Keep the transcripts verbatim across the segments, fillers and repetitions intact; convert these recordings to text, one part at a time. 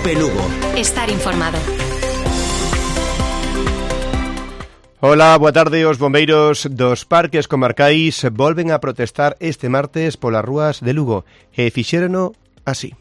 Cope Lugo. Estar informado. Ola, boa tarde. Os bombeiros dos parques comarcais volven a protestar este martes polas rúas de Lugo e fixérono así.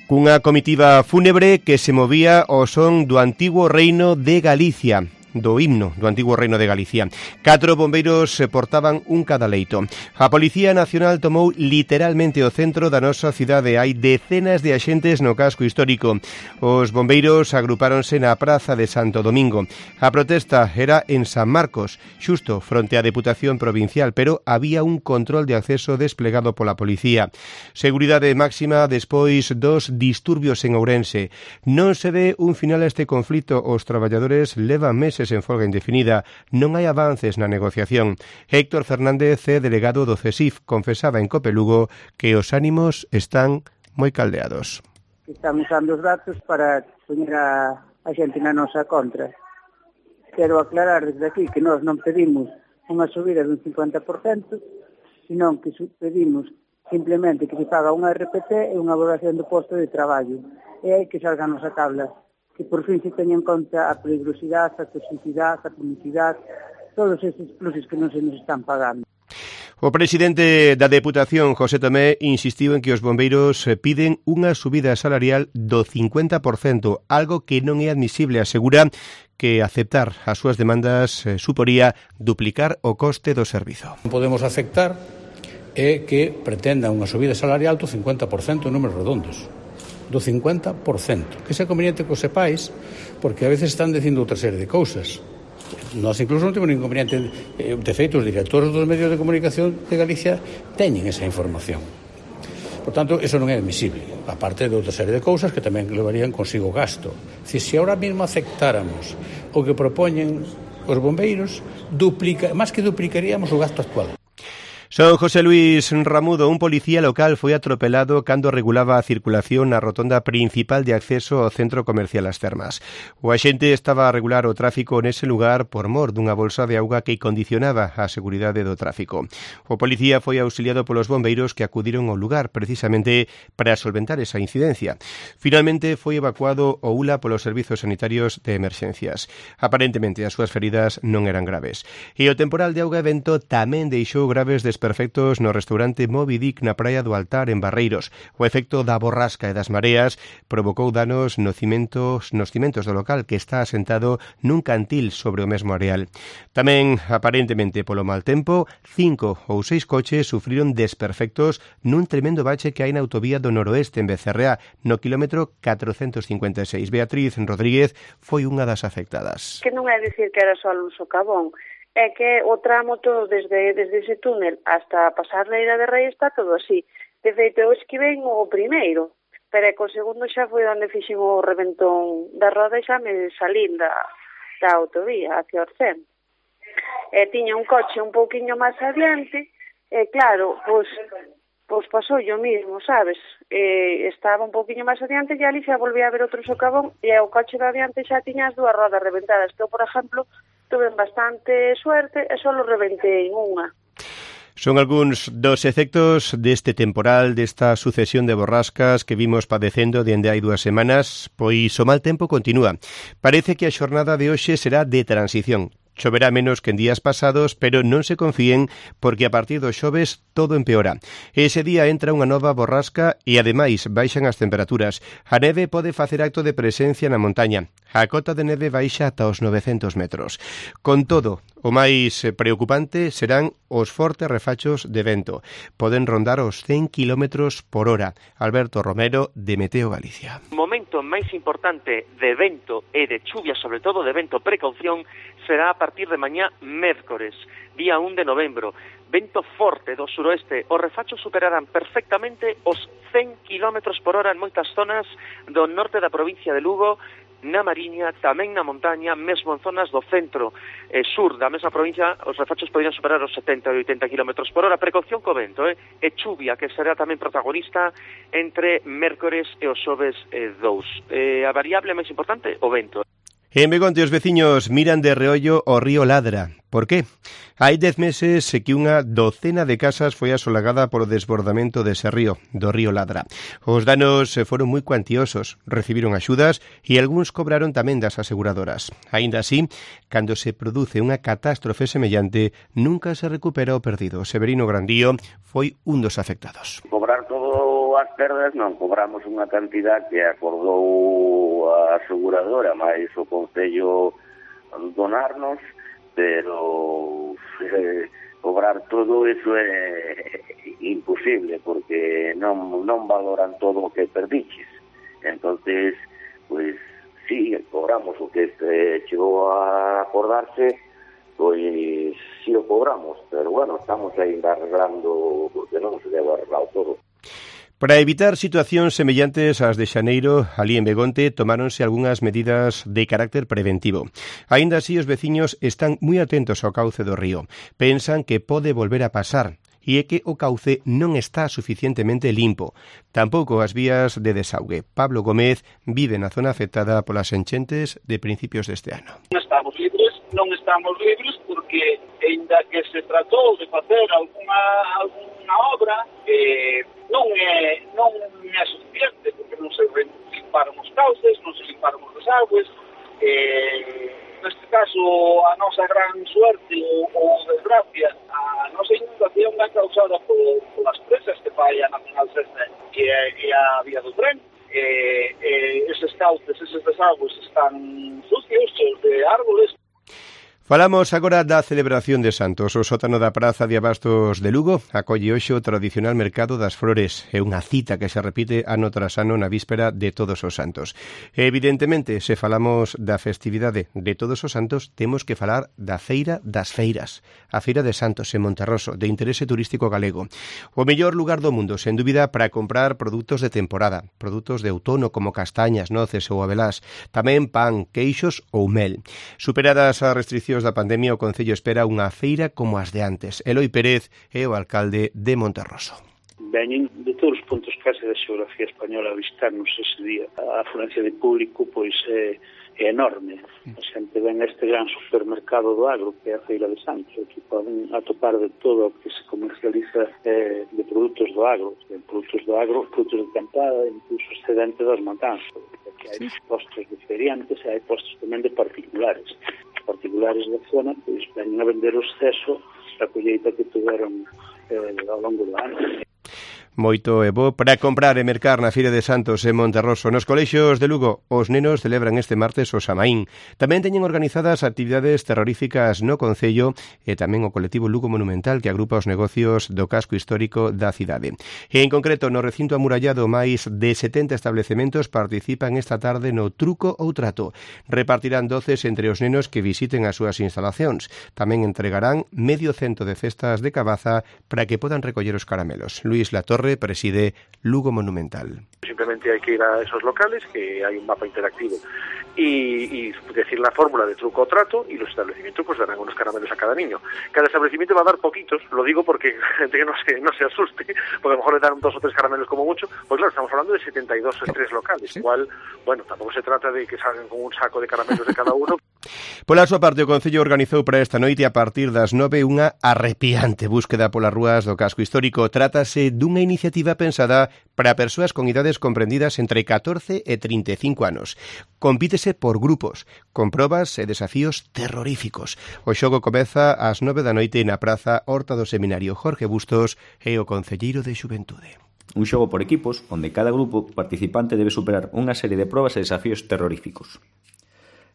Cunha comitiva fúnebre que se movía ao son do antigo reino de Galicia, do himno do antigo reino de Galicia. Catro bombeiros se portaban un cada leito. A Policía Nacional tomou literalmente o centro da nosa cidade. Hai decenas de axentes no casco histórico. Os bombeiros agrupáronse na Praza de Santo Domingo. A protesta era en San Marcos, xusto fronte á Deputación Provincial, pero había un control de acceso desplegado pola Policía. Seguridade máxima despois dos disturbios en Ourense. Non se ve un final a este conflito. Os traballadores levan meses en folga indefinida, non hai avances na negociación. Héctor Fernández, delegado do C E S I F, confesaba en Cope Lugo que os ánimos están moi caldeados. Estamos usando os datos para poñer a, a xente na nosa contra. Quero aclarar desde aquí que nós non pedimos unha subida dun cincuenta por cento, senón que pedimos simplemente que se paga unha R P T e unha valoración do posto de traballo. E hai que salga a nosa tabla, que por fin se teña en conta a peligrosidade, a toxicidade, a publicidade, todos estes pluses que non se nos están pagando. O presidente da Deputación, José Tomé, insistiu en que os bombeiros piden unha subida salarial do cincuenta por cento, algo que non é admisible. Asegura que aceptar as súas demandas suporía duplicar o coste do servizo. Non podemos aceptar é que pretenda unha subida salarial do cincuenta por cento en números redondos. Do cincuenta por cento, que é conveniente que o sepáis, porque a veces están dicindo outra serie de cousas. Nós incluso non temos ningún inconveniente, de feito, os directores dos medios de comunicación de Galicia teñen esa información. Por tanto, eso non é admisible, aparte de outra serie de cousas que tamén levarían consigo gasto. Se si ahora mesmo aceptáramos o que propoñen os bombeiros, duplica, máis que duplicaríamos o gasto actual. Son José Luis Ramudo, un policía local, foi atropelado cando regulaba a circulación na rotonda principal de acceso ao centro comercial As Termas. O axente estaba a regular o tráfico nese lugar por mor dunha bolsa de auga que condicionaba a seguridade do tráfico. O policía foi auxiliado polos bombeiros que acudiron ao lugar precisamente para solventar esa incidencia. Finalmente foi evacuado o U L A polos servizos sanitarios de emerxencias. Aparentemente as súas feridas non eran graves. E o temporal de auga e vento tamén deixou graves desperfectos perfectos no restaurante Moby Dick na Praia do Altar en Barreiros. O efecto da borrasca e das mareas provocou danos nos cimentos, nos cimentos do local que está asentado nun cantil sobre o mesmo areal. Tamén, aparentemente polo mal tempo, cinco ou seis coches sufriron desperfectos nun tremendo bache que hai na autovía do noroeste en Becerrea, no quilómetro catrocentos cincuenta e seis. Beatriz Rodríguez foi unha das afectadas. Que non é dicir que era só un socavón, é que o tramo todo desde, desde ese túnel hasta pasar Leira de Rei está todo así. De feito, eu esquivei o primeiro, pero é que o segundo xa foi onde fixen o reventón da roda e xa me salín da, da autovía hacia Orcén. E tiña un coche un pouquiño máis adiante, e claro, pois, pois pasou yo mismo, sabes? E estaba un pouquiño máis adiante e ali xa volví a ver outro socavón e o coche de adiante xa tiña as dúas rodas reventadas, que eu, por exemplo, tuve bastante suerte e só reventei unha. Son algúns dos efectos deste temporal, desta sucesión de borrascas que vimos padecendo dende hai dúas semanas, pois o mal tempo continúa. Parece que a xornada de hoxe será de transición. Choverá menos que en días pasados, pero non se confíen porque a partir do xoves todo empeora. Ese día entra unha nova borrasca e ademais baixan as temperaturas. A neve pode facer acto de presencia na montaña. A cota de neve baixa ata os novecentos metros. Con todo, o máis preocupante serán os fortes refachos de vento. Poden rondar os cen kilómetros por hora. Alberto Romero, de Meteo Galicia. O momento máis importante de vento e de chuvia, sobre todo de vento, precaución, será a partir de mañá mércores, día un de novembro. Vento forte do suroeste. Os refachos superarán perfectamente os cen kilómetros por hora en moitas zonas do norte da provincia de Lugo, na Mariña, tamén na montaña, mesmo en zonas do centro e sur da mesma provincia, os refachos poderían superar os setenta e oitenta kilómetros por hora. Precaución co vento, eh? e chuvia, que será tamén protagonista entre mércores e os xoves eh, dous. Eh, a variable máis importante, o vento. En Begonte os veciños miran de reollo o río Ladra. Por qué? Hai dez meses que unha docena de casas foi asolagada por o desbordamento dese río, do río Ladra. Os danos foron moi cuantiosos, recibiron axudas e algúns cobraron tamén das aseguradoras. Aínda así, cando se produce unha catástrofe semellante, nunca se recupera o perdido. Severino Grandío foi un dos afectados. Cobrar todo as perdas non, cobramos unha cantidad que acordou a aseguradora, máis o Concello donarnos, pero eh, cobrar todo eso é imposible porque non, non valoran todo o que perdiches. Entonces, pues sí, cobramos o que eh, chegou a acordarse, pois sí o cobramos, pero bueno, estamos aí arreglando porque non se debe arreglar todo. Para evitar situacións semellantes ás de xaneiro, alí en Begonte, tomáronse algunhas medidas de carácter preventivo. Aínda así, os veciños están moi atentos ao cauce do río. Pensan que pode volver a pasar e é que o cauce non está suficientemente limpo. Tampouco as vías de desaugue. Pablo Gómez vive na zona afectada polas enchentes de principios deste ano. Non estamos libres, non estamos libres porque, ainda que se tratou de facer alguna, alguna obra, eh, non é, non é suficiente, porque non se limparon os cauces, non se limparon os desagües. Eh, neste caso, a nosa gran suerte ou, ou desgracia, a nosa inundación é causada por, por as presas que fai a Nacional Sexta e, e a vía do tren. Eh, eh, eses cauces, eses desagües están sucios, cheos de árboles. Falamos agora da celebración de Santos. O sótano da Praza de Abastos de Lugo acolle hoxe o tradicional Mercado das Flores. É unha cita que se repite ano tras ano na víspera de Todos os Santos. Evidentemente, se falamos da festividade de Todos os Santos, temos que falar da Feira das Feiras, a Feira de Santos en Monterroso, de interese turístico galego. O mellor lugar do mundo, sen dúbida, para comprar produtos de temporada, produtos de outono como castañas, noces ou abelás, tamén pan, queixos ou mel. Superadas as restriccións da pandemia, o Concello espera unha feira como as de antes. Eloi Pérez é o alcalde de Monterroso. Veñen de todos os puntos case da xeografía española a visitarnos ese día. A afluencia de público pois é, é enorme. A xente ven este gran supermercado do agro que é a Feira de Santos, que poden atopar de todo o que se comercializa eh, de produtos do agro, de produtos do agro, produtos de campada, incluso excedente das montañas. Hai postos de feriantes e hai postos tamén de particulares. Particulares da zona, pois ven a vender o exceso da colleita que tuveron eh, ao longo do ano. Moito é bo para comprar e mercar na Feira de Santos en Monterroso. Nos colexios de Lugo, os nenos celebran este martes o Samaín. Tamén teñen organizadas actividades terroríficas no Concello e tamén o colectivo Lugo Monumental que agrupa os negocios do casco histórico da cidade. E en concreto, no recinto amurallado, máis de setenta establecementos participan esta tarde no truco ou trato. Repartirán doces entre os nenos que visiten as súas instalacións. Tamén entregarán medio cento de cestas de cabaza para que podan recoller os caramelos. Luis Latorre preside Lugo Monumental. Simplemente hay que ir a esos locales, que hay un mapa interactivo, y, y decir la fórmula de truco o trato, y los establecimientos pues darán unos caramelos a cada niño. Cada establecimiento va a dar poquitos, lo digo porque gente que no se, no se asuste, porque a lo mejor le dan dos o tres caramelos como mucho, pues claro, estamos hablando de setenta y dos tres locales, ¿sí? Igual, bueno, tampoco se trata de que salgan con un saco de caramelos de cada uno. Pola súa parte, o Concello organizou para esta noite a partir das nove unha arrepiante búsqueda polas rúas do casco histórico. Trátase dunha iniciativa pensada para persoas con idades comprendidas entre catorce e trinta e cinco anos. Compítese por grupos, con probas e desafíos terroríficos. O xogo comeza ás nove da noite na Praza Horta do Seminario. Jorge Bustos é o concelleiro de Xuventude. Un xogo por equipos onde cada grupo participante debe superar unha serie de probas e desafíos terroríficos.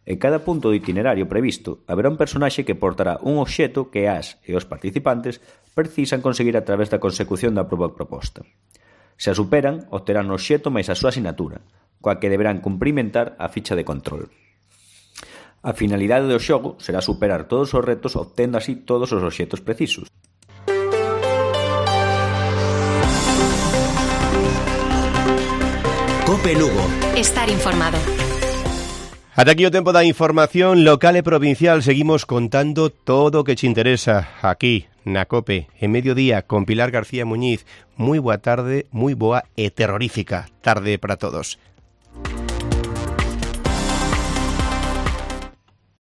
En cada punto do itinerario previsto haberá un personaxe que portará un obxeto que as e os participantes precisan conseguir a través da consecución da proba proposta. Se a superan, obterán o obxeto máis a súa asinatura, coa que deberán cumprimentar a ficha de control. A finalidade do xogo será superar todos os retos obtendo así todos os obxetos precisos. Cope Lugo. Estar informado. Ata aquí o tempo da información local e provincial. Seguimos contando todo o que te interesa aquí na Cope, en mediodía, con Pilar García Muñiz. Moi boa tarde, moi boa e terrorífica tarde para todos.